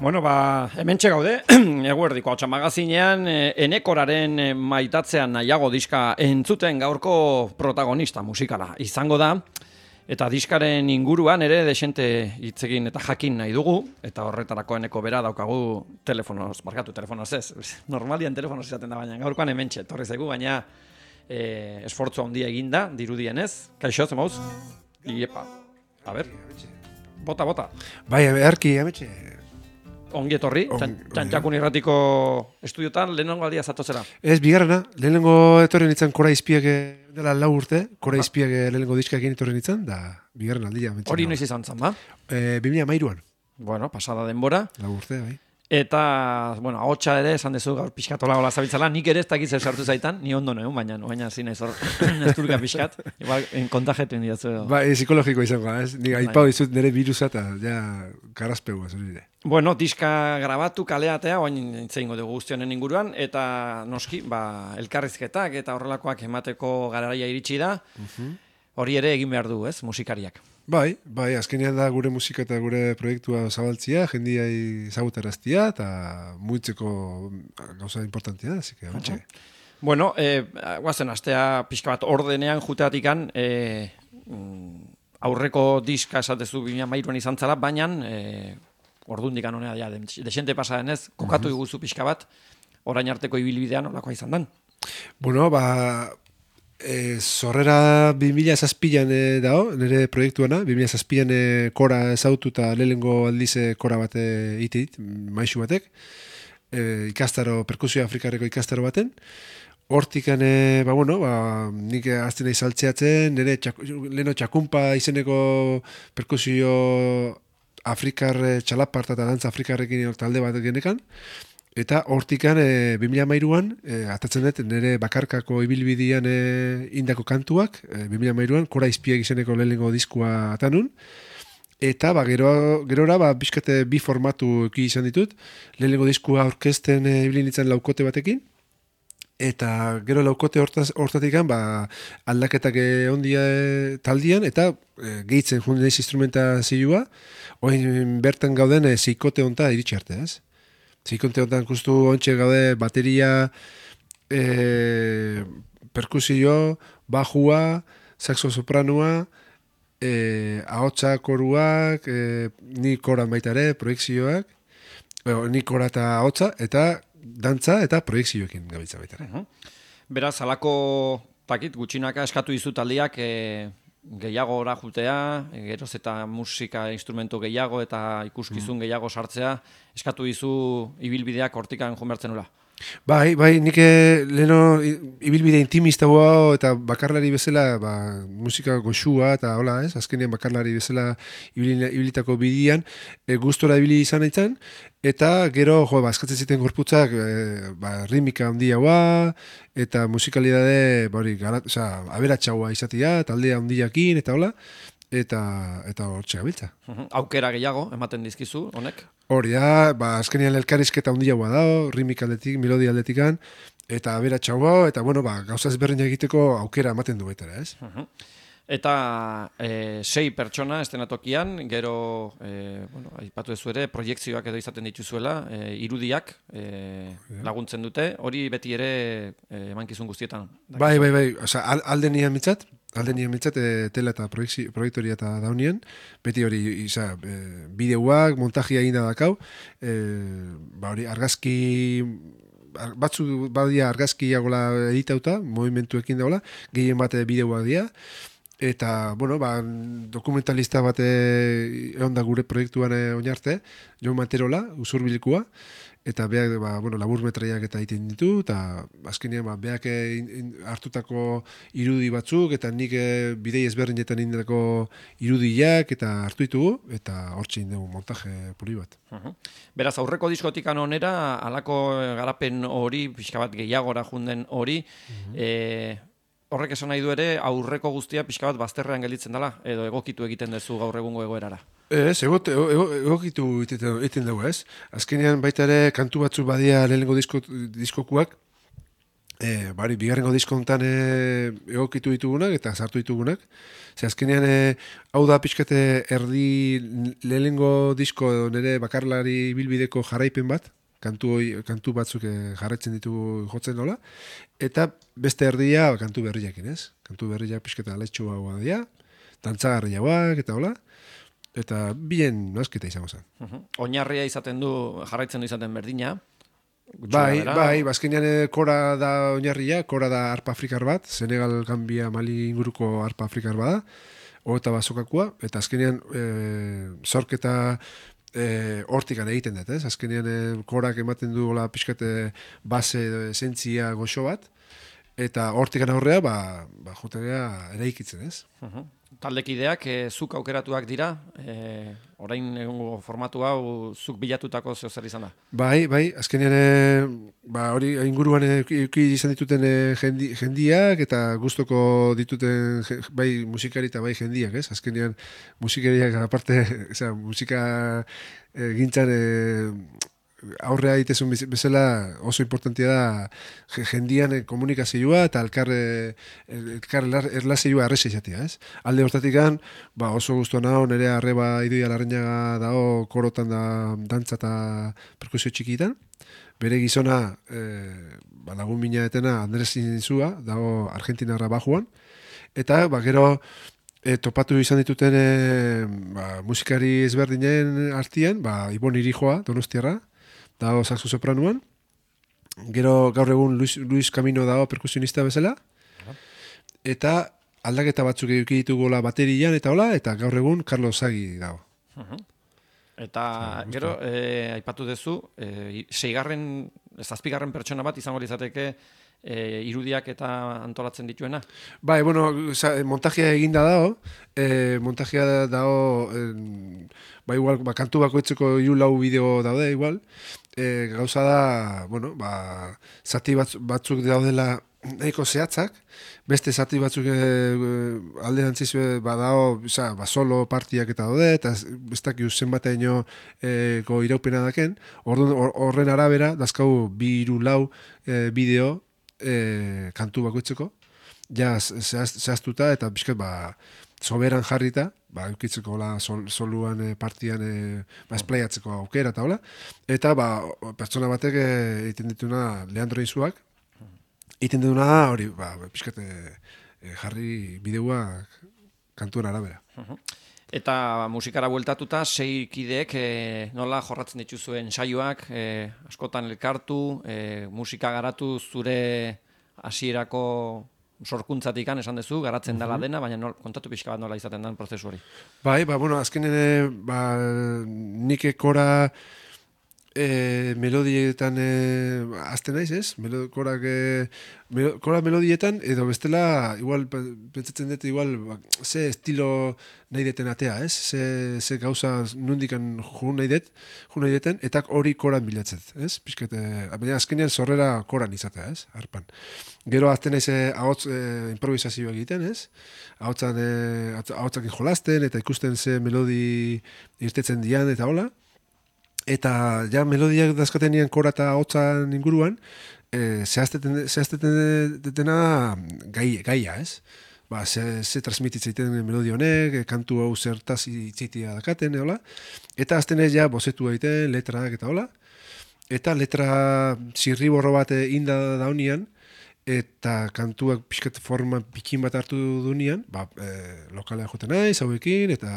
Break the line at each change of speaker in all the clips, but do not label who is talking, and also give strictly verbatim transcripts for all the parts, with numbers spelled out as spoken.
Bueno, ba, hementxe gaude, eguerdiko hotxa magazinean, Enekoraren maitatzean nahiago diska entzuten gaurko protagonista musikala izango da, eta diskaren inguruan ere desente hitzegin eta jakin nahi dugu, eta horretarako Eneko bera daukagu telefonoz, barkatu telefonoz ez, normalian telefonoz izaten da baina, gaurkoan hementxe, torri zaigu, baina e, esfortzu handia eginda, dirudienez, kaixo, zemauz? Iepa, a ber, bota, bota.
Bai, beharki, ametxe.
Ongi etorri, Txantxakun irratiko estudiotan, lehenengo aldia zatozera? Ez,
bigarrena, lehenengo etorri nintzen Kora Izpiak dela lau urte, Kora Izpiak lehenengo diskak egin etorri nintzen, da bigarren aldia.
Hori noiz izan zen, ba?
E, Bimila mairuan.
Bueno, pasada denbora.
Lau urte, bai.
Eta, bueno, ahotsa ere, esan dezu gaur pixkatola gola zabiltzala, nik ere ez dakiz zer sartu zaitan, ni ondo neun, baina baina zina izor esturka pixkat, igual kontajetu indiatzu.
Ba, e, psikologiko izango, ez? Nik aipau dizut nire virusa eta ja karazpegu zurire.
Bueno, diska grabatu kaleatea, oain intzeingo dugu guztionen inguruan, eta noski, ba, elkarrizketak eta horrelakoak emateko garaia iritsi da, hori ere egin behar du, ez, musikariak.
Bai, bai, azkenean da gure musika eta gure proiektua zabaltzia, jendiai zagutaraztia eta muitzeko gauza importantia da, zike, ametxe.
Bueno, eh, guazen, astea pixka bat ordenean juteatikan, eh, aurreko diska esatezu bimila mairuan izan zala, baina eh, ordundik anonea, ja, desente pasaren ez, kokatu uh-huh. iguzu pixka bat, orain arteko ibilbidean olakoa izan dan.
Bueno, ba... E, zorrera bimila zazpilan e, dao, nire proiektuana, bimila zazpilan e, kora ezautu eta lehengo aldize kora bat itit, maisu batek, e, ikastaro, perkusio afrikarreko ikastaro baten, hortikan, e, ba, bueno, ba, nik azten nahi saltzeatzen, nire txak, leheno txakumpa izeneko perkusio afrikar txalaparta eta dantza afrikarrekin talde bat genekan, eta hortikan e, bimila mairuan, e, atatzen dut, nire bakarkako ibilbidean e, indako kantuak, e, bimila mairuan, Kora Izpiak izeneko lehenengo diskua atanun, eta ba, gero, gerora ba, bizkate bi formatu eki izan ditut, lehenengo diskua orkesten e, ibilin ditzen laukote batekin, eta gero laukote hortaz, hortatikan ba, aldaketak ondia e, taldian, eta e, gehitzen junden ez instrumentazioa, oin bertan gauden e, zeikote honta iritsi arte, ez? Zikonte honetan justu ontxe gaude bateria, e, perkusio, bajua, saxo sopranua, e, ahotsa koruak, e, ni koran baita ere, proiekzioak, e, ni kora eta ahotsa, eta dantza eta proiekzioekin gabiltza baita ere.
Uh-huh. Beraz, alako takit gutxinaka eskatu dizu taldiak e, gehiago ora jutea, geroz eta musika instrumentu gehiago eta ikuskizun mm. gehiago sartzea, eskatu dizu ibilbideak hortikan jonbertzen ula.
Bai, bai, nik leheno ibilbide intimista hau eta bakarlari bezala ba, musika goxua eta hola, ez? Azkenean bakarlari bezala ibilitako bidian e, gustora ibili izan aitzan, eta gero, jo, ba, eskatzen ziten gorputzak e, ba, rimika handia hua, eta musikalidade, ba, hori, garat, oza, aberatxaua izatea, taldea handiakin, eta hola, eta eta hortxe gabiltza.
Uh-huh. Aukera gehiago ematen dizkizu, honek?
Hori da, ba, azkenean elkarrizketa handiagoa dago, rimika aldetik, melodia aldetikan, eta aberatxaua, eta bueno, ba, gauza ezberdina egiteko aukera ematen du baita, ez?
Uh-huh. Eta e, sei pertsona estenatokian, gero e, bueno, aipatu ezu ere, proiektzioak edo izaten dituzuela, e, irudiak e, laguntzen dute, hori beti ere e, emankizun guztietan.
Bai, bai, bai, oza, alde nian mitzat, alde nian mitzat, e, tela eta proiektoria eta daunien, beti hori, iza, e, bideuak, montajia egin da dakau, e, ba hori, argazki... batzu badia argazkiagola editauta, movimentuekin dagoela, gehien bate bideoak dira, eta, bueno, ba, dokumentalista bate egon da gure proiektuan oinarte, Jon Materola, usurbilekua, eta beak, ba, bueno, labur metraiak eta egiten ditu, eta azkenean, ba, beak hartutako irudi batzuk, eta nik bidei ezberdinetan indako irudiak, eta hartu ditugu, eta hortxe indegu montaje puri bat.
Uh-huh. Beraz, aurreko diskotikan onera, alako garapen hori, pixka bat gehiagora junden hori, uh-huh. e, horrek esan nahi du ere, aurreko guztia pixka bat bazterrean gelditzen dela, edo egokitu egiten duzu gaur egungo egoerara.
Ez, egot, ego, egokitu egiten dugu, ez? Azkenean baita ere kantu batzu badia lehenengo disko, diskokuak, E, bari, bigarrengo diskontan e, egokitu ditugunak eta sartu ditugunak. Ze azkenean, e, hau da pixkate erdi lehenengo disko edo nire bakarlari bilbideko jarraipen bat, kantu, hoi, kantu batzuk e, jarraitzen ditugu jotzen nola, eta beste erdia kantu berriakin, ez? Kantu berriak pixkate aletxu hau dira, dantzagarriagoak eta hola, eta bien nasketa izango zen.
Uh-huh. Oinarria izaten du, jarraitzen du izaten berdina,
Bai, bai, bazkenean kora da oinarria, kora da arpa afrikar bat, Senegal, Gambia, Mali inguruko arpa afrikar bada, eta bazokakua, eta azkenean e, zorketa e, hortikan egiten dut, ez? Azkenean e, korak ematen du gola pixkate base esentzia goxo bat, eta hortikan aurrea, ba, ba jotegea eraikitzen, ez?
Uh-huh. Taldekideak e, zuk aukeratuak dira, e, orain egungo formatu hau zuk bilatutako zeo zer izan da?
Bai, bai, azkenean e, ba, hori inguruan eki izan dituten e, jendi, jendiak eta gustoko dituten bai musikari eta bai jendiak, ez? Azkenean musikariak aparte, osea, musika e, gintzan e, aurrea ditezun bezala oso importantia da jendian komunikazioa eta elkar, elkar erlazioa arreza izatea, ez? Alde hortatikan, ba oso guztua naho, nire arreba idoia larreinaga dago korotan da dantza eta perkusio txikitan. Bere gizona, e, ba, lagun mina etena Andres Inzua, dago Argentinarra bajuan. Eta, ba, gero, e, topatu izan dituten e, ba, musikari ezberdinen artian, ba, Ibon Irijoa, Donostiarra, dago saxo sopranuan. Gero gaur egun Luis, Luis Camino dago perkusionista bezala. Eta aldaketa batzuk eduki ditugola baterian eta hola, eta gaur egun Carlos Sagi dago.
Uh-huh. Eta ah, gero, e, aipatu duzu, e, seigarren, zazpigarren pertsona bat izango izateke e, irudiak eta antolatzen dituena?
Bai, bueno, montajea eginda dago, e, montajea dago, e, ba igual, ba, kantu bakoitzeko hiru lau bideo daude igual, e, gauza da, bueno, ba, zati batz, batzuk daudela nahiko zehatzak, beste zati batzuk e, alderantziz badao, oza, ba, solo partiak eta daude, eta ez dakiu zenbateino e, go iraupena daken, horren or, arabera, dazkau bi hiru lau e, bideo e, kantu bakoitzeko, ja zehaztuta eta bizkat ba, soberan jarrita, ba, eukitzeko la, sol, soluan e, partian e, ba, esplaiatzeko aukera eta hola, eta ba, pertsona batek e, egiten dituna Leandro Inzuak, egiten duna da, hori, ba, pixkate e, jarri bideoak kantuen arabera.
Uh-huh. Eta musikara bueltatuta, sei kideek e, nola jorratzen dituzuen saioak, e, askotan elkartu, e, musika garatu zure hasierako sorkuntzatikan esan duzu, garatzen dela dena, baina nol, kontatu pixka bat nola izaten den prozesu hori.
Bai, ba, bueno, azkenen, ba, nik ekora E, melodietan e, azten naiz, ez? Melo, korak, e, melo, kora melodietan, edo bestela, igual, pentsatzen dut, igual, ba, ze estilo nahi deten atea, ez? Ze, ze gauza nundikan jun nahi det, jun nahi deten, eta hori koran bilatzet, ez? Piskete, baina azkenean zorrera koran izatea, ez? Arpan. Gero azten naiz, e, ahots e, improvisazioa egiten, ez? Ahotsan, e, ahotsakin jolasten, eta ikusten ze melodi irtetzen dian, eta hola. Eta ja melodiak dazkatenean kora eta hotzan inguruan, e, zehazteten detena gai, gaia, ez? Ba, ze, ze transmititzeiten melodia honek, kantu hau zertaz itzitia dakaten, hola. Eta azten ez ja bozetu egiten, letraak eta hola. Eta letra zirriborro bat inda daunian, eta kantuak pixkat forma pikin bat hartu dunean, ba, e, lokalea joten naiz, hauekin, eta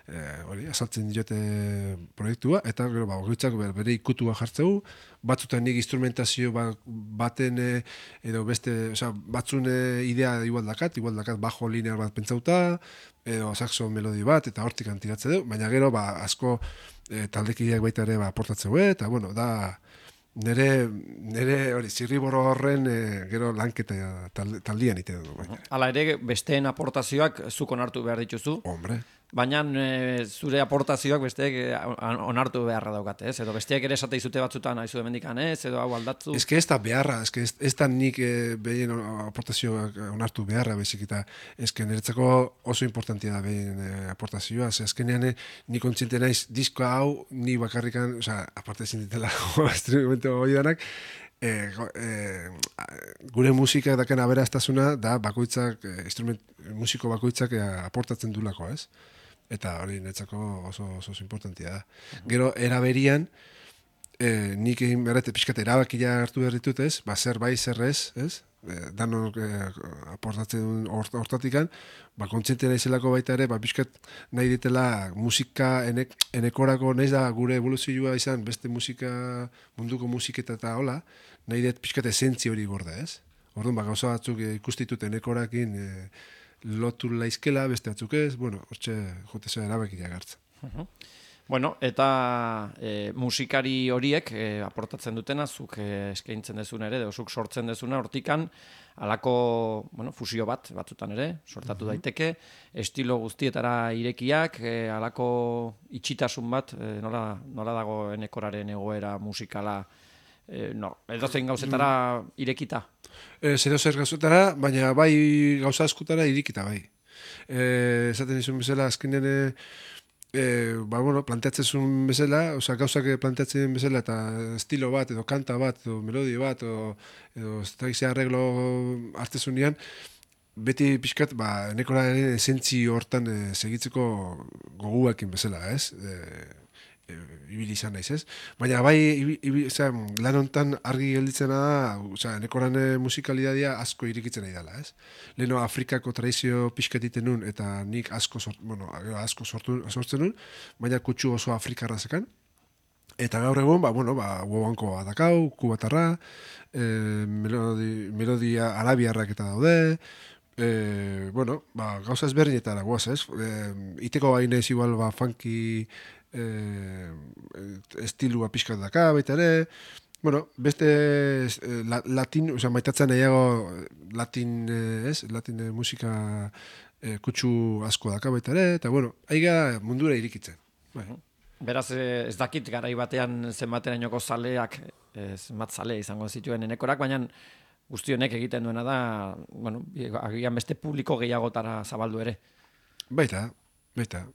e, hori, azaltzen diote proiektua, eta gero, ba, horitzak bere ikutua jartzeu, batzutan nik instrumentazio ba, baten e, edo beste, oza, batzun e, idea igual dakat, igual dakat bajo linear bat pentsauta, edo saxo melodi bat, eta hortik antiratze du, baina gero, ba, asko e, taldekideak baita ere ba, aportatzeu, eta, bueno, da, Nere, nere hori, zirriboro horren e, gero lanketa taldian ite du.
Hala ere, besteen aportazioak zuk onartu behar dituzu.
Hombre.
Baina e, zure aportazioak besteek onartu beharra daukate, ez? Edo besteak ere esate izute batzutan haizu demendikan, ez? Edo hau aldatzu.
Ez que ez da beharra, ez que ez, ez da nik e, behien aportazioak onartu beharra, bezik eta ez que niretzako oso importantia da behien e, aportazioa. Ez azkenean e, ni kontziente naiz diskoa hau, ni bakarrikan, oza, aparte ezin ditela instrumento hori danak, e, e, gure musika daken aberastasuna da bakoitzak, e, instrument, musiko bakoitzak e, aportatzen dulako, ez? Eta hori netzako oso, oso, oso importantia da. Gero, eraberian, e, nik egin berrete pixkat erabakia hartu behar ditut, ez? Ba, zer bai, zer ez, ez? E, danok e, aportatzen hort, hortatikan, ba, kontziente naizelako baita ere, ba, pixkat nahi ditela musika enek, enekorako nahiz da gure evoluzioa izan, beste musika, munduko musiketa eta hola, nahi dut pixkat esentzi hori gorda, ez? Orduan, ba, gauza batzuk e, ikustitut enekorakin e, lotu laizkela, beste batzuk ez, bueno, hortxe jote zera erabakia gartzen.
Uh-huh. Bueno, eta e, musikari horiek e, aportatzen dutena, zuk e, eskaintzen dezun ere, edo zuk sortzen dezuna, hortikan, halako, bueno, fusio bat, batzutan ere, sortatu uh-huh. daiteke, estilo guztietara irekiak, e, halako itxitasun bat, e, nola, nola dago enekoraren egoera musikala, e, no, edo zein gauzetara irekita?
E, Zero zer gauzetara, baina bai gauza askutara irikita bai. E, esaten izun bezala, azkenen e, ba, bueno, planteatzen zuen bezala, oza, gauzak planteatzen bezala, eta estilo bat, edo kanta bat, edo melodia bat, edo, edo ez arreglo hartezunean, beti pixkat, ba, nekoraren esentzi hortan e, segitzeko goguakin bezala, ez? E, e, ibili izan naiz, ez? Baina bai, ibi, ibi, oza, lan hontan argi gelditzena da, oza, nekoran musikalidadia asko irikitzen nahi dela, ez? Leheno Afrikako tradizio pixkatiten nun, eta nik asko, sort, bueno, asko sortu, sortzen nun, baina kutsu oso afrikarra zekan. Eta gaur egun, ba, bueno, ba, guabanko adakau, kubatarra, e, melodi, melodia arabiarrak eta daude, e, bueno, ba, gauza ezberdinetara guaz, ez? E, iteko bainez igual, ba, funky, Eh, estilua pixkat daka, baita ere, bueno, beste eh, la, latin, oza, maitatzen nahiago latin, eh, ez, latin eh, musika eh, kutsu asko daka baita ere, eta bueno, aiga mundura irikitzen. Bai.
Beraz, ez dakit garai batean zenbaterainoko zaleak, zenbat zale izango zituen enekorak, baina guzti honek egiten duena da, bueno, agian beste publiko gehiagotara zabaldu ere.
Baita, baita.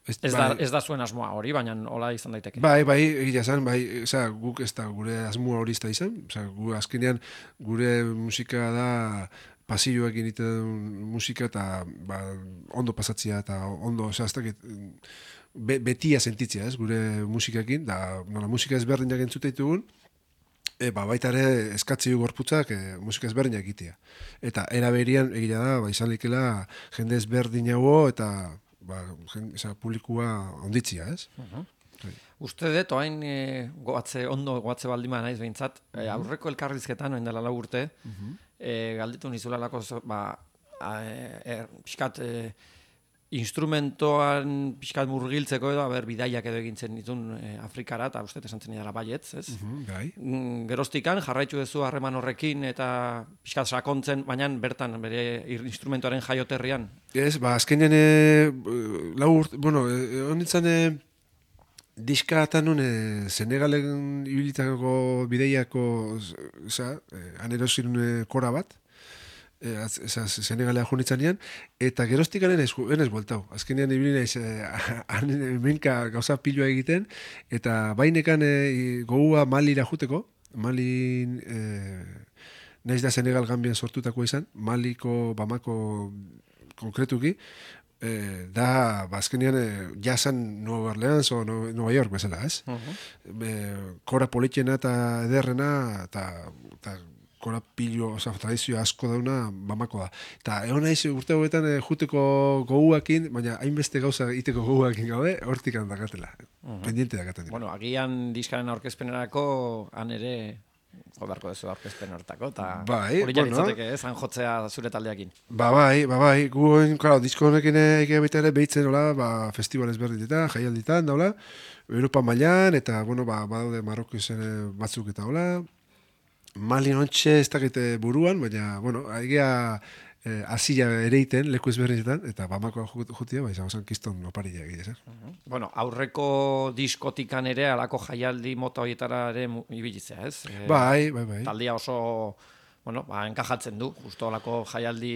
Ez, ez, da, ez da zuen asmoa hori, baina hola izan daiteke.
Bai, bai, egia zen, bai, oza, guk ez da gure asmoa hori ez da izan, oza, gu, azkenean gure musika da pasilloak egiten musika eta ba, ondo pasatzea eta ondo, oza, ez dakit, be, betia sentitzea, ez, gure musikakin, da, nola, musika ezberdinak entzute ditugun, e, ba, baita ere eskatzi gorputzak e, musika ezberdinak egitea. Eta eraberian egia da, ba, izan likela jende ezberdinago eta ba, jen, eza, publikua onditzia, ez?
Uh-huh. Uste dut, oain e, goatze, ondo goatze baldima naiz behintzat, e, aurreko elkarrizketan, oain dela lau urte, uh-huh. e, galditu nizulalako, ba, e, pixkat, e, instrumentoan pixkat murgiltzeko edo, aber, bidaiak edo egintzen ditun e, Afrikara, eta uste esantzen idara baietz, ez?
Uh-huh, bai.
Mm, geroztikan, jarraitu duzu harreman horrekin, eta pixkat sakontzen, baina bertan, bere instrumentoaren jaioterrian.
Ez, ba, azkenean, e, lau urte, bueno, e, honitzen, e, diska eta nun, e, Senegalen ibilitako bideiako, oza, e, anerozin e, kora bat, Senegalea junitzanean, eta geroztik garen ez bueltau. Azkenean ibili naiz hemenka gauza pilua egiten, eta bainekan e, gogua Malira juteko, Malin e, naiz da Senegal Gambian sortutako izan, Maliko, Bamako konkretuki, e, da, ba, azkenean e, jasan Nueva Orleans o no, Nueva York bezala, ez? Uh-huh. e, kora politxena eta ederrena, eta, eta kora pillo, oza, tradizio asko dauna Bamako da. Eta egon naiz urte hauetan e, juteko goguakin, baina hainbeste gauza iteko goguakin gaude, hortik handakatela. Uh-huh. Pendiente dakaten.
Bueno, agian diskaren aurkezpenerako han ere jo beharko dezu aurkezpen hortako, eta
bai,
hori jaritzateke, bueno, zan jotzea zure taldeakin.
Ba, bai, ba, bai, guen, claro, disko honekin egia baita ere behitzen, hola, ba, festival ezberdinetan, jaialditan, daula, Europa mailan eta, bueno, ba, badaude Marroko izen batzuk eta, hola, Mali nontxe ez dakite buruan, baina, bueno, egia eh, azila ereiten, leku ezberdinetan, eta Bamakoa jutia, bai, izango zen kiston oparila egia, zer. Uh-huh.
Bueno, aurreko diskotikan ere, alako jaialdi mota horietara ere ibilitzea, ez? E,
bai, bai, bai.
Taldia oso, bueno, ba, enkajatzen du, justo alako jaialdi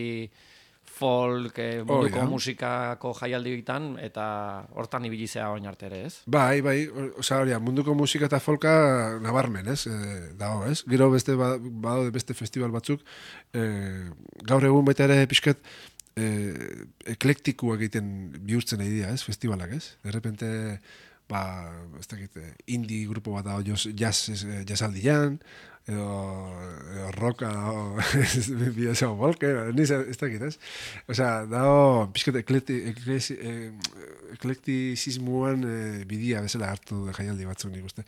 folk, eh, munduko
Oh, ja.
musikako jaialditan, eta hortan ibilizea oin arte ere, ez?
Bai, bai, osea, hori, munduko musika eta folka nabarmen, ez? E, dago, ez? Gero beste ba- badaude beste festival batzuk, e, gaur egun baita ere pixkat e, eklektikoak egiten bihurtzen nahi dira, ez? Festivalak, ez? De repente, ba, ez dakit, indie grupo bat dago jazz, jazzaldian, edo, edo rocka, edo bidezao volker, niz, ez dakit, ez? Osea, dago pixkat eklekti, eklesi, e, eklektizismuan e, bidia bezala hartu de jaialdi batzuk nik uste.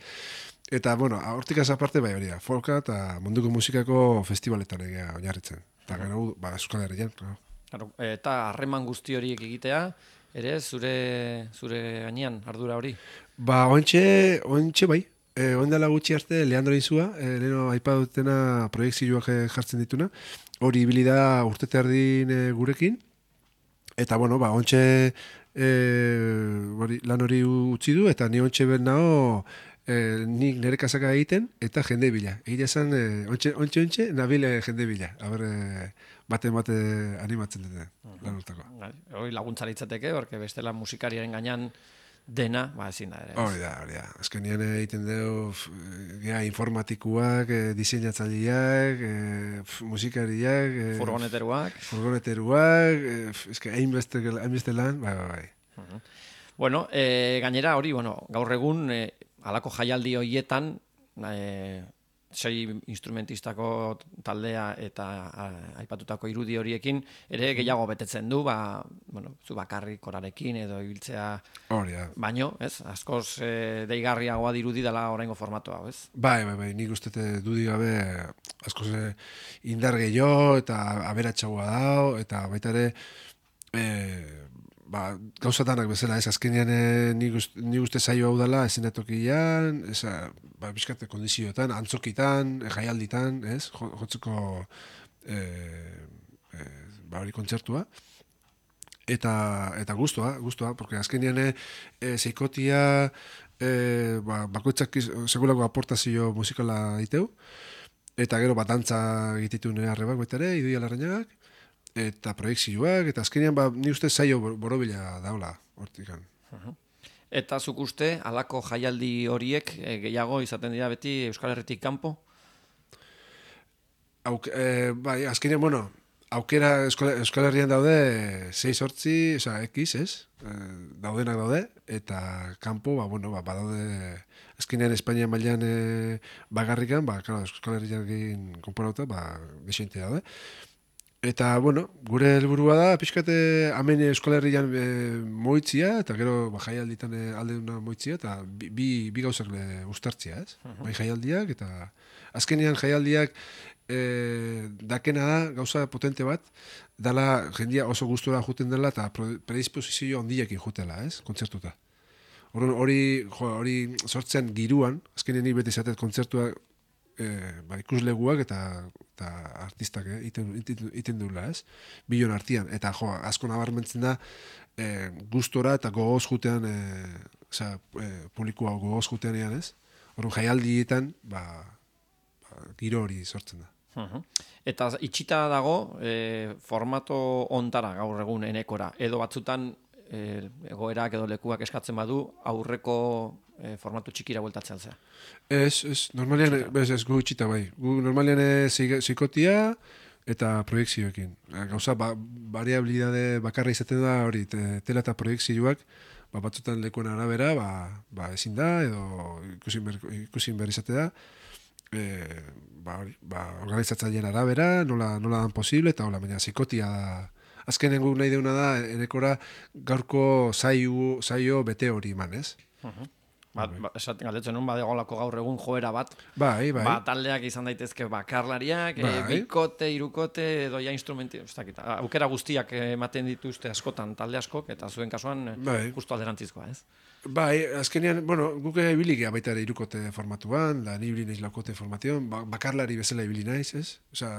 Eta, bueno, hortik aparte bai hori da, folka eta munduko musikako festivaletan egia oinarritzen. Eta gero, ba, Euskal Herrian, claro.
Claro, eta harreman guzti horiek egitea, ere zure zure gainean ardura hori.
Ba, ointxe, ointxe bai. E, Oindala gutxi arte, Leandro Inzua, e, leheno aipa dutena proiektzioak jartzen dituna. Hori ibili da urtete erdin e, gurekin. Eta, bueno, ba, ontxe e, hori, lan hori utzi du, eta ni ontxe ben nao e, nik nire kasaka egiten, eta jende bila. Egia esan, e, ontxe, ontxe, ontxe, nabile jende bila. Aber, e, bate bate animatzen dute lan urtako.
Hori laguntza litzateke, porque bestela musikariaren gainean dena, ba ezin da ere.
Hori da, hori da. Azkenean egiten dugu gea informatikuak, e, diseinatzaileak, e, musikariak, e,
Furgoneteruak.
Furgoneteruak, e, eske hainbeste hainbeste lan, bai, bai, bai.
Uh -huh. Bueno, e, gainera hori, bueno, gaur egun e, halako jaialdi hoietan e, sei instrumentistako taldea eta a, aipatutako irudi horiekin ere gehiago betetzen du, ba, bueno, zu bakarrik korarekin edo ibiltzea.
Hori da.
Baino, ez? Askoz e, deigarriagoa dirudi dela oraingo formatu hau, ez?
Bai, bai, bai, nik uste dudi gabe askoz indar gehiago eta aberatsagoa dao, eta baita ere e, ba, gauzatanak bezala, ez, azkenean e, nik, uste, nik uste zaio hau dela esenatokian, ez, ba, bizkate kondizioetan, antzokitan, e, jaialditan, ez, jotzeko e, e, ba, hori kontzertua. Eta, eta guztua, guztua, porque azkenean e, zeikotia e, ba, bakoitzak segulako aportazio musikala diteu, eta gero bat dantza egititu nire arrebak baita ere, Idoia Larrañagak, eta proiektzioak, eta azkenean ba, ni uste zaio borobila daula, hortikan.
Uh-huh. Eta zuk uste, halako jaialdi horiek e, gehiago izaten dira beti Euskal Herritik kanpo?
Auk, e, bai, azkenean, bueno, aukera Euskal, Euskal Herrian daude sei sortzi, oza, X, ez? E, daudenak daude, eta kanpo, ba, bueno, ba, badaude, azkenean Espainia mailan e, bagarrikan, ba, claro, Euskal Herriakin konporauta, ba, desente daude. Eta, bueno, gure helburua da, pixkate hemen Euskal Herrian e, moitzia, eta gero ba, jaialditan e, alde duna moitzia, eta bi, bi, bi gauzak le ustartzia, ez? Uh-huh. Bai jaialdiak, eta azkenean jaialdiak e, dakena da, gauza potente bat, dala jendia oso gustura juten dela, eta predisposizio ondiekin jutela, ez? Kontzertuta. Hori, jo, hori sortzen giruan, azkenean ni beti izatet kontzertua e, ba, ikusleguak eta, eta artistak eh, iten, iten, iten duela, ez? Bilon artian. Eta jo, asko nabarmentzen da e, gustora eta gogoz jutean, e, oza, e, publikoa gogoz jutean ean, ez? Horren jaialdietan, ba, ba, giro hori sortzen da.
Uh-huh. Eta itxita dago e, formato ontara gaur egun enekora, edo batzutan e, egoerak edo lekuak eskatzen badu aurreko e, formatu txikira bueltatzen zea.
Ez, ez, normalean, ez, ez, gu itxita bai. Gu normalean zikotia eta proiektzioekin. Gauza, ba, variabilidade bakarra izaten da hori, te, tela eta proiektzioak, ba, batzutan lekuen arabera, ba, ba, ezin da, edo ikusin ber, ikusin ber izate da, e, ba, hori, ba, organizatzaileen arabera, nola, nola dan posible, eta hola, baina zikotia da. Azkenen guk nahi deuna da, enekora gaurko zaio, zaio bete hori eman, ez?
Uh-huh. Ba, ba, esaten galdetzen nun, badegolako gaur egun joera bat.
Bai, bai.
Ba, taldeak izan daitezke bakarlariak, bai. e, bikote, irukote, edo ja instrumenti, aukera guztiak ematen dituzte askotan talde askok, eta zuen kasuan bai. Justu alderantzizkoa, ez?
Bai, azkenean, bueno, guk ibili geha baita ere irukote formatuan, da ni ibili naiz laukote formatuan, ba, bakarlari bezala ibili naiz, ez? Osa,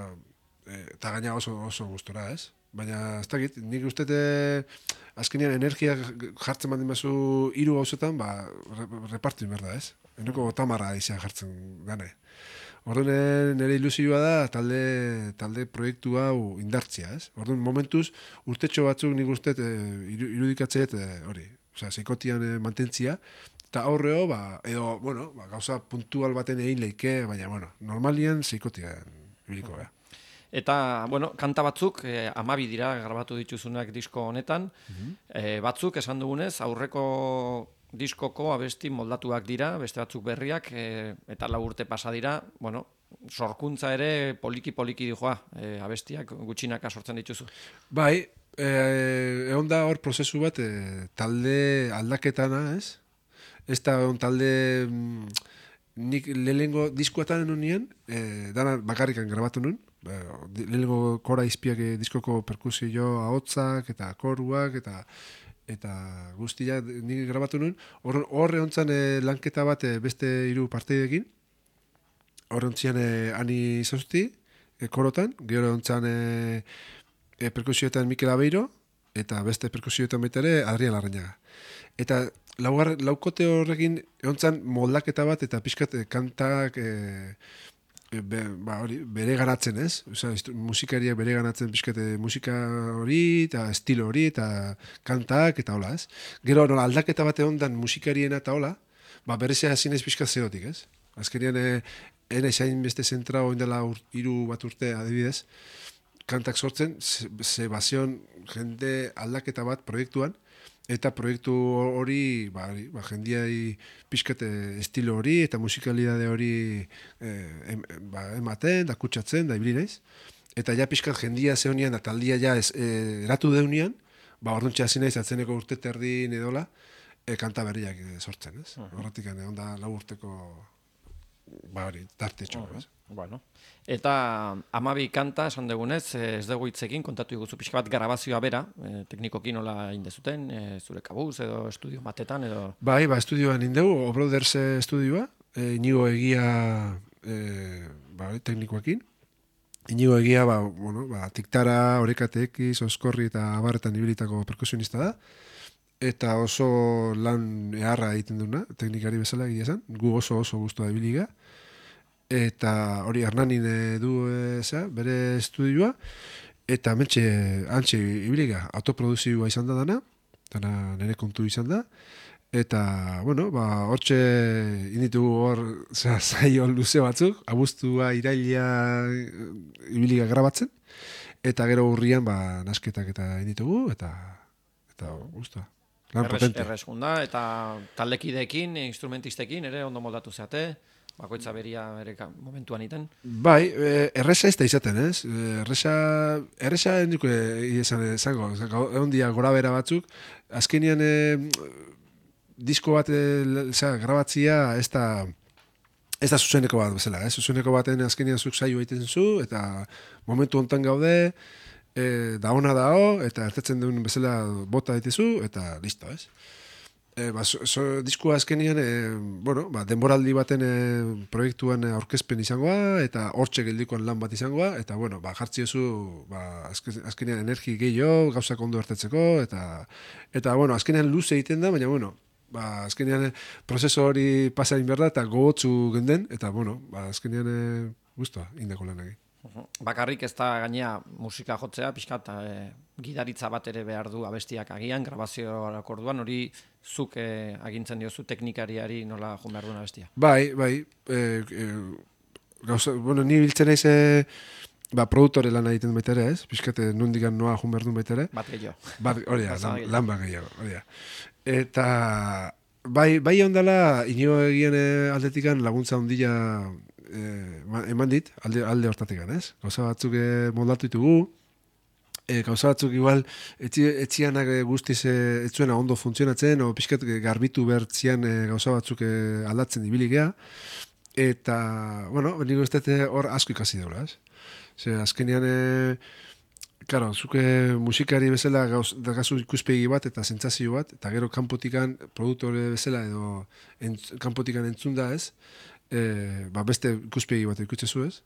eta gaina oso, oso gustora, ez? Baina, ez dakit, nik ustete azkenean energia jartzen baldin bazu hiru gauzetan, ba, repartu inberda, ez? Eneko tamarra izan jartzen gane. Orduan nire ilusioa da talde, talde proiektu hau indartzia, ez? Orduan momentuz urtetxo batzuk nik uste e, irudikatzeet e, hori, osea, seikotian e, mantentzia, eta aurreo, ba, edo, bueno, ba, gauza puntual baten egin leike, baina, bueno, normalian seikotian ibiliko, ja.
Eta, bueno, kanta batzuk, eh, amabi dira grabatu dituzunak disko honetan, mm batzuk, esan dugunez, aurreko diskoko abesti moldatuak dira, beste batzuk berriak, e, eta lau urte pasa dira, bueno, sorkuntza ere poliki-poliki dijoa, e, abestiak gutxinaka sortzen dituzu.
Bai, e, egon da hor prozesu bat, e, talde aldaketana, ez? Ez da egon talde, mm, nik lehengo diskoatan nuen, e, dana bakarrikan grabatu nuen, lehengo kora izpiak e, diskoko perkusio ahotzak eta koruak eta eta guztia nik grabatu nuen, horre hontzan e, lanketa bat e, beste hiru parteidekin, horre hontzian e, ani izausti, e, korotan, gero hontzan e, e, perkusioetan Mikel Abeiro, eta beste perkusioetan baita ere Adrián Larrañaga. Eta laugar, laukote horrekin hontzan moldaketa bat eta pixkat e, kantak e, Be, ba, hori, bere ganatzen, ez? Osea, musikariak bere ganatzen pixkate musika hori, eta estilo hori, eta kantak, eta hola, ez? Gero, nola, aldaketa bate ondan musikariena eta hola, ba, berezea zinez pixka zeotik, ez? Azkenian, ene zain beste zentra oindela ur, iru bat urte adibidez, kantak sortzen, ze, ze bazion jende aldaketa bat proiektuan, eta proiektu hori, ba, ba, jendiai pixkate estilo hori eta musikalidade hori eh, em, ba, ematen, da kutsatzen, da ibili naiz. Eta ja pixkat jendia zeunian, da taldia ja ez, eh, eratu deunian, ba, orduntxe hasi naiz, atzeneko urte terdin edola, eh, kanta berriak eh, sortzen, ez? Uh -huh. Horretik, egon da lau urteko, ba, hori, tarte txo, uh -huh. ez?
Bueno. Eta amabi kanta, esan dugunez, ez dugu hitzekin, kontatu iguzu pixka bat grabazioa bera, e, teknikoki nola indezuten, e, zure kabuz edo estudio batetan edo...
Bai, ba, estudioan indegu, Obrothers estudioa, e, Inigo Egia e, ba, teknikoekin. Inigo Egia, ba, bueno, ba, Tiktara, Orekatekiz, Oskorri eta Abarretan ibilitako perkusionista da. Eta oso lan eharra egiten duna, teknikari bezala egia esan, gu oso oso guztua ibiliga. Eta hori Hernanin du e, zera, bere estudioa, eta mentxe, antxe ibiliga, autoproduzioa izan da dana, dana nire kontu izan da, eta, bueno, ba, hortxe inditu hor, zera, zaio luze batzuk, abuztua, iraila ibiliga grabatzen, eta gero urrian, ba, nasketak eta inditugu, eta, eta, guztua.
Errez, errezkunda, eta taldekideekin, instrumentistekin, ere ondo moldatu zeate, bakoitza beria ere momentuan iten.
Bai, erresa ez da izaten, ez? Erresa, erresa endiko izan zango, egon dia gora bera batzuk, azkenian e, disko bat e, grabatzia ez da, ez da zuzeneko bat bezala, ez? Zuzeneko baten azkenian zuk saio egiten zu, eta momentu hontan gaude, e, da ona dao, eta ertetzen duen bezala bota dituzu, eta listo, ez? E, ba, so, so, diskua azkenian, e, bueno, ba, denboraldi baten e, proiektuan aurkezpen izangoa, eta hortxe geldikoan lan bat izangoa, eta, bueno, ba, jartziozu, ba, azkenian energi gehiago, gauzak ondo hartetzeko, eta, eta, bueno, azkenian luze egiten da, baina, bueno, ba, azkenian prozeso hori pasain behar da, eta gogotzu genden, eta, bueno, ba, azkenian e, guztua, indako lan egin.
Bakarrik ez da gainea musika jotzea, pixkat e, gidaritza bat ere behar du abestiak agian, grabazioak orduan, hori zuk e, agintzen diozu teknikariari nola joan behar duen abestia.
Bai, bai, e, e, gauza, bueno, ni biltzen naiz e, ba, produktore lan egiten baita ere, ez? Pixkate nondikan noa joan behar duen baita ere.
Bat gehiago.
Bat, hori da, lan, lan bat gehiago, hori da. Eta, bai, bai ondala, Inigo Egien aldetikan laguntza ondila Eh, eman dit, alde, alde hortatik ez? Gauza batzuk eh, moldatu ditugu, eh, gauza batzuk igual etzi, etzianak guztiz eh, etzuena ondo funtzionatzen, o pixkat garbitu bertzian eh, gauza batzuk eh, aldatzen ibiligea, eta, bueno, nire ustete hor asko ikasi daula, ez? Ze, azkenean, eh, claro, zuke musikari bezala gauz, dagazu ikuspegi bat eta sentsazio bat, eta gero kanpotikan produktore bezala edo entz, kanpotikan entzunda ez, E, ba beste ikuspegi bat eukitzezu ez.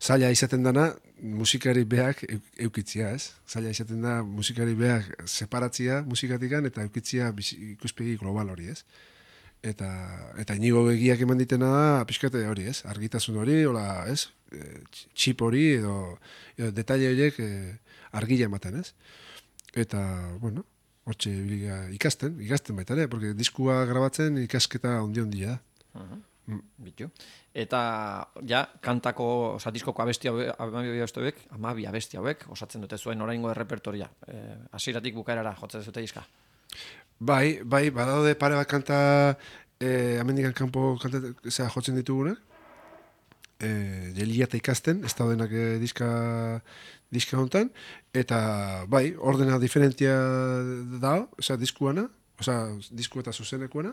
Zaila izaten dana musikari beak eukitzia ez. Zaila izaten da musikari beak separatzia musikatikan eta eukitzia ikuspegi global hori ez. eta eta inigo begiak eman ditena da pixkate hori, ez? Argitasun hori, hola, ez? E, txip hori edo, edo detaile horiek e, argila ematen, ez? Eta, bueno, hortxe ikasten, ikasten baita ere, porque diskua grabatzen ikasketa ondi-ondia da.
Uh-huh. Mm. Bitu. Eta, ja, kantako, oza, diskoko abesti hauek, amabi abesti hauek, osatzen dute zuen oraingo errepertoria. E, Hasieratik bukaerara jotzen zute diska.
Bai, bai, badaude pare bat kanta eh, amendikan kanpo kanta zera, jotzen ditugunak. Eh, jelia eta ikasten, ez daudenak eh, diska, diska hontan. Eta, bai, ordena diferentia da, oza, diskuana, oza, disku eta zuzenekuana.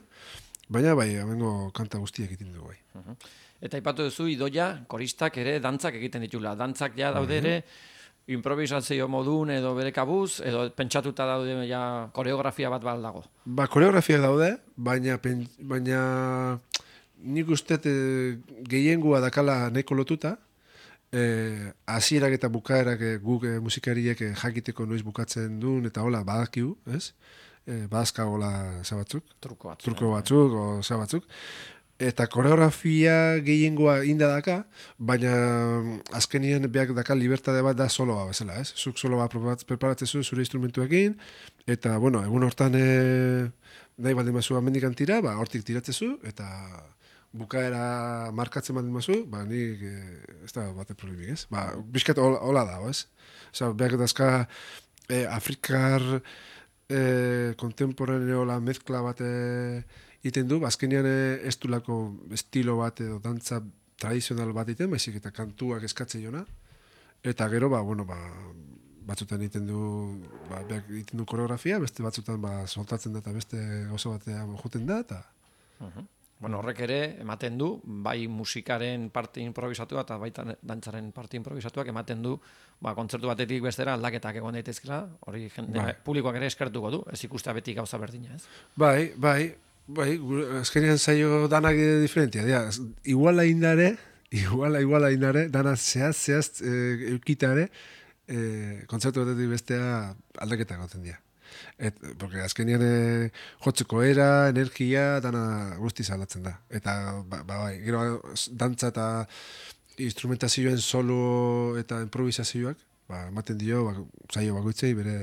Baina, bai, amengo kanta guztiak egiten dugu, bai.
Uh-huh. Eta ipatu duzu, idoia, koristak ere dantzak egiten ditula. Dantzak ja daude ere, improvisazio modun edo bere kabuz, edo pentsatuta daude ja koreografia bat baldago.
Ba, koreografia daude, baina, pen, baina nik uste e, gehiengoa dakala nahiko lotuta, e, hasierak eta bukaerak e, guk e, musikariek e, jakiteko noiz bukatzen duen, eta hola badakiu, ez? E, badazka hola zabatzuk,
truko batzuk,
truko batzuk o zabatzuk. Eta koreografia gehiengoa inda daka, baina azkenien beak daka libertade bat da soloa bezala, ez? Zuk soloa preparatzezu zure instrumentuekin, eta, bueno, egun hortan e, nahi baldin mazu amendikan tira, ba, hortik tiratzezu, eta bukaera markatzen baldin mazu, ba, nik e, ez da bate problemik, ez? Ba, bizkat hola, hola da, ez? Osa, beak dazka e, Afrikar e, kontemporaneo la mezkla bat iten du, azkenean ez du lako estilo bat edo dantza tradizional bat iten, baizik eta kantuak eskatze jona, eta gero, ba, bueno, ba, batzutan iten du, ba, iten du koreografia, beste batzutan ba, soltatzen da eta beste oso batean joten da, eta...
Uh-huh. Bueno, horrek ere, ematen du, bai musikaren parte improvisatua eta baita dantzaren parte improvisatuak ematen du, ba, kontzertu batetik bestera aldaketak egon daitezkela, hori jende, bai. Publikoak ere eskertuko du, ez ikustea beti gauza berdina, ez?
Bai, bai, bai, azkenean zaio danak diferentia, dia, iguala indare, iguala, iguala indare, dana zehaz, zehaz, e, eukitare, e, kontzertu batetik bestea aldaketak goten dira. Et, porque azkenean e, jotzeko era, energia, dana guztiz aldatzen da. Eta, ba, ba, bai, gero dantza eta instrumentazioen solo eta improvisazioak, ba, ematen dio, ba, zaio bakoitzei bere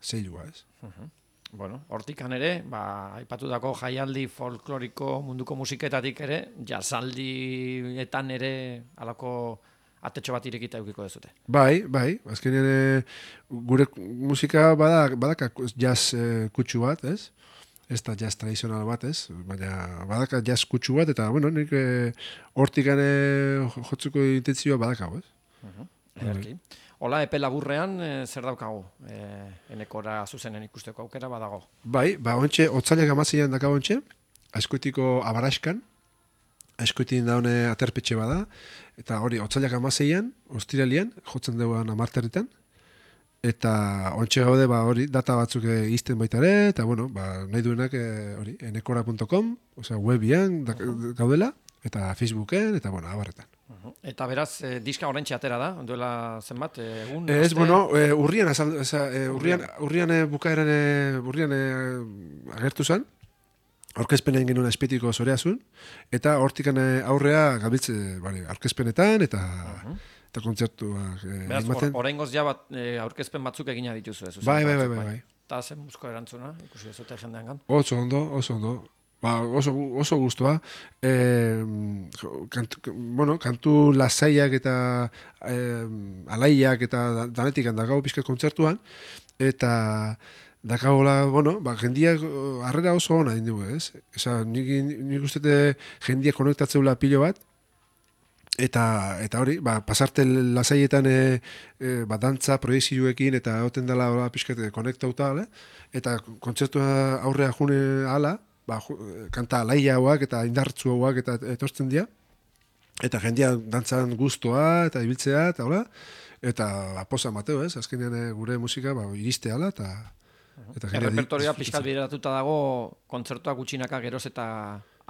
zeilua, ez?
Uh-huh. Bueno, hortikan ere, ba, aipatutako jaialdi folkloriko munduko musiketatik ere, jazaldietan ere alako atetxo bat irekita eukiko dezute.
Bai, bai, azkenean e, gure musika badak, badaka jazz e, kutsu bat, ez? Ez da jazz tradizional bat, ez? Baina badaka jazz kutsu bat, eta, bueno, nik e, hortikan e, jotzuko intentzioa badakago, ez?
Uh-huh. Ederki. Hola, epe laburrean, e, zer daukagu? E, enekora zuzenen ikusteko aukera badago.
Bai, ba, ontxe, otzailak amazian dakago ontxe, askoitiko abaraskan, askoitin daune aterpetxe bada, eta hori, otzailak amaseian, ostiralian, jotzen duguan amarterritan, eta ontxe gaude, ba, hori, data batzuk e, izten baita ere, eta, bueno, ba, nahi duenak, e, hori, enekora punto com, osea, webian da, gaudela, eta Facebooken, eta, bueno, abarretan.
Uh-huh. Eta beraz, e, diska oraintxe atera da, duela zenbat, egun?
Ez, aste... bueno, e, urrian, azal, eza, e, urrian, urrian e, bukaeran, e, urrian e, agertu zen, aurkezpenen genuen espetiko zoreazun, eta hortikan aurrea gabiltze bari, aurkezpenetan, eta uh-huh. eta kontzertuak e,
beraz, or, oraingoz ja bat, e, aurkezpen batzuk egina dituzu ez?
Bai, bai, bai, bai, bai.
Eta zen buzko erantzuna, ikusi dezute jendean gan?
Oso ondo, oso ondo. Ba, oso, oso guztua. E, kantu, bueno, kantu lasaiak eta e, alaiak eta danetik handakau pizkat kontzertuan, eta dakagola, bueno, ba, jendiak harrera oso ona dindu, ez? Eza, nik, nik ustete jendiak konektatzeula pilo bat, eta eta hori, ba, pasarte lasaietan e, e, ba, dantza, proiezioekin, eta hoten dela pixkate konektauta, ale? Eta kontzertua aurrea june ala, ba, kanta alaia hauak eta indartzu hauak eta etortzen dira, eta jendia dantzan guztua eta ibiltzea, eta hola, eta aposa mateo, ez? Azkenean gure musika ba, iriste ala, eta
Eta errepertorioa pixkat bideratuta dago kontzertuak gutxinaka geroz eta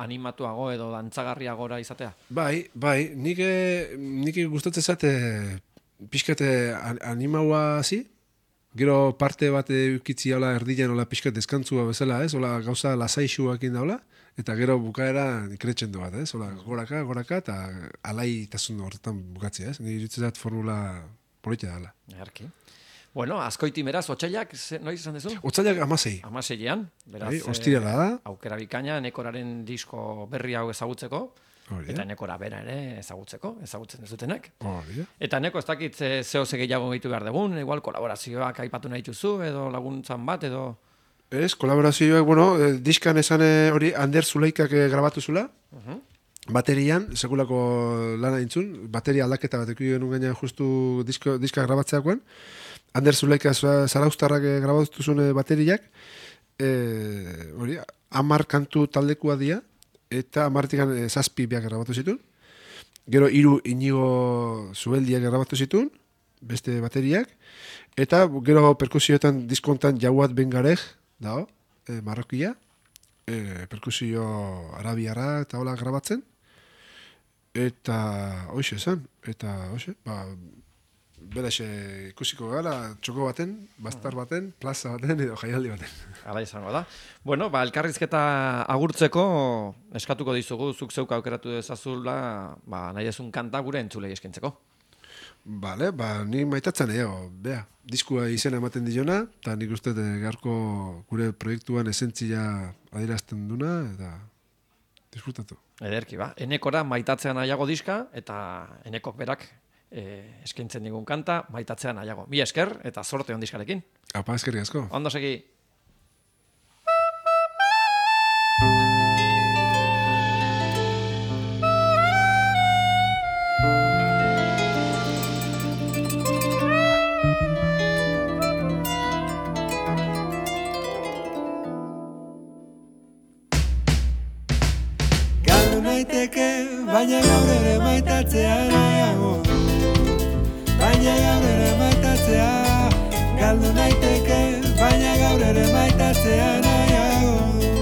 animatuago edo dantzagarriagora izatea?
Bai, bai, nik, nik gustatzen zate pixkat animaua hasi, Gero parte bat eukitzi hola erdian hola pixkat deskantzua bezala, ez? Hola gauza lasaixuak indaula, eta gero bukaera ikretxendo bat, ez? Hola goraka, goraka, eta alaitasun horretan bukatzea, ez? Nire iruditzen zait formula politia dela.
Erki. Bueno, azkoiti beraz, otsailak, noiz izan dezu?
Otsailak amasei.
Amaseian, beraz,
Bai, ostirala da.
Aukera bikaina, Enekoraren disko berri hau ezagutzeko,
Hori,
eta Enekora bera ere ezagutzeko, ezagutzen dezutenek.
Hori,
Eta Eneko ez dakit ze- zeo ze gehiago gehitu behar dugun, igual kolaborazioak aipatu nahi duzu, edo laguntzan bat, edo...
Ez, kolaborazioak, bueno, eh, diskan esan eh, hori Ander Zulaikak eh, grabatu zula,
Uh-huh.
baterian, sekulako lana intzun, bateria aldaketa bat ekuio genuen gaina justu disko, diska grabatzeakoan, Ander Zulaika za- zaraustarrak eh, grabatu zuen eh, bateriak, eh, hori, amar kantu taldekua dia, eta amartikan eh, zazpi biak grabatu zituen, gero hiru Inigo Zubeldiak grabatu zituen, beste bateriak, eta gero perkusioetan diskontan Jauat Bengarej, dago, e, Marrokia, e, perkusio arabiara eta hola grabatzen, eta hoxe esan, eta hoxe, ba, beraxe ikusiko gara, txoko baten, bastar baten, plaza baten, edo jaialdi baten.
Hala izango da. Bueno, ba, elkarrizketa agurtzeko eskatuko dizugu, zuk zeuk aukeratu dezazula, ba, nahi ezun kanta gure entzulei eskentzeko.
Bale, ba, ni maitatzen eo, bea, diskua izena ematen diona, eta nik uste dut gaurko gure proiektuan esentzia adierazten duna, eta disfrutatu.
Ederki, ba. Enekora maitatzean nahiago diska, eta Enekok berak e, eskaintzen digun kanta, maitatzean nahiago. Mi esker, eta sorte on diskarekin.
Apa, eskerrik asko.
Ondo segi.
Galdu naiteke, baina gaur ere maitatzea nahiago du. Baina gaur ere maitatzea, galdu naiteke, baina gaur ere maitatzea nahiago du.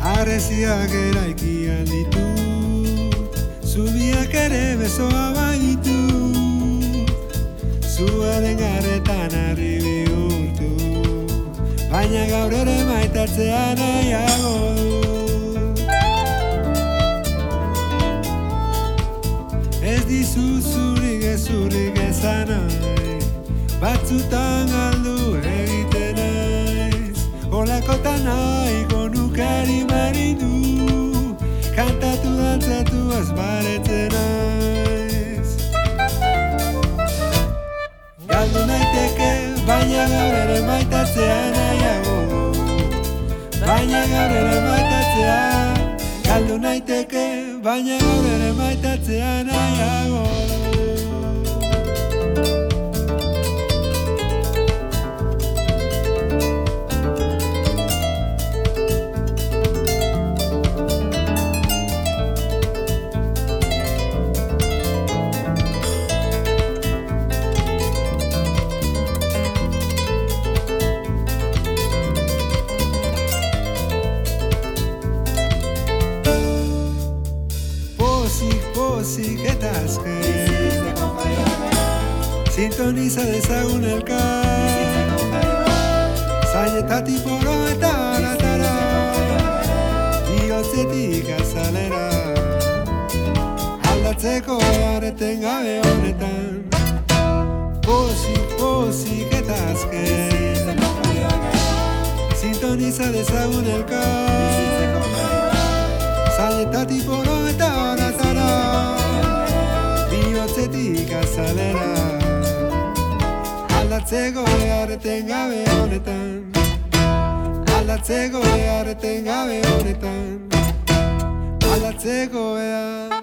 Harresiak eraikian ditut, zubiak ere besoa baitut, zuaren garretan harri bihurtu, baina gaur ere maitatzea nahiago du. Ez dizu zurik ezurrik esan nahi, batzutan galdu egiten naiz, olakotan nahiko nukari maridu, kantatu dantzatu azbaretzen naiz. Galdu naiteke, baina gaur ere maitatzea nahiago du. Baina gaur ere maitatzea, galdu naiteke, baina gaur ere maitatzea nahiago du. Pozik, pozik eta azken, sintoniza dezagun elkar, zainetatik poro eta aratara, bihotzetik azalera, aldatzeko areten gabe honetan. Pozik, pozik eta azken, sintoniza dezagun elkar, zainetatik poro eta aratara, bihotzetik azalera, aldatzeko beharreten gabe honetan, aldatzeko beharreten gabe honetan, aldatzeko behar.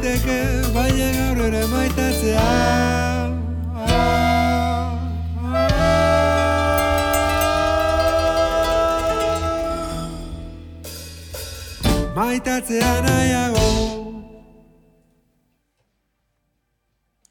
naiteke, baina gaur ere maitatzea. Maitatzea nahiago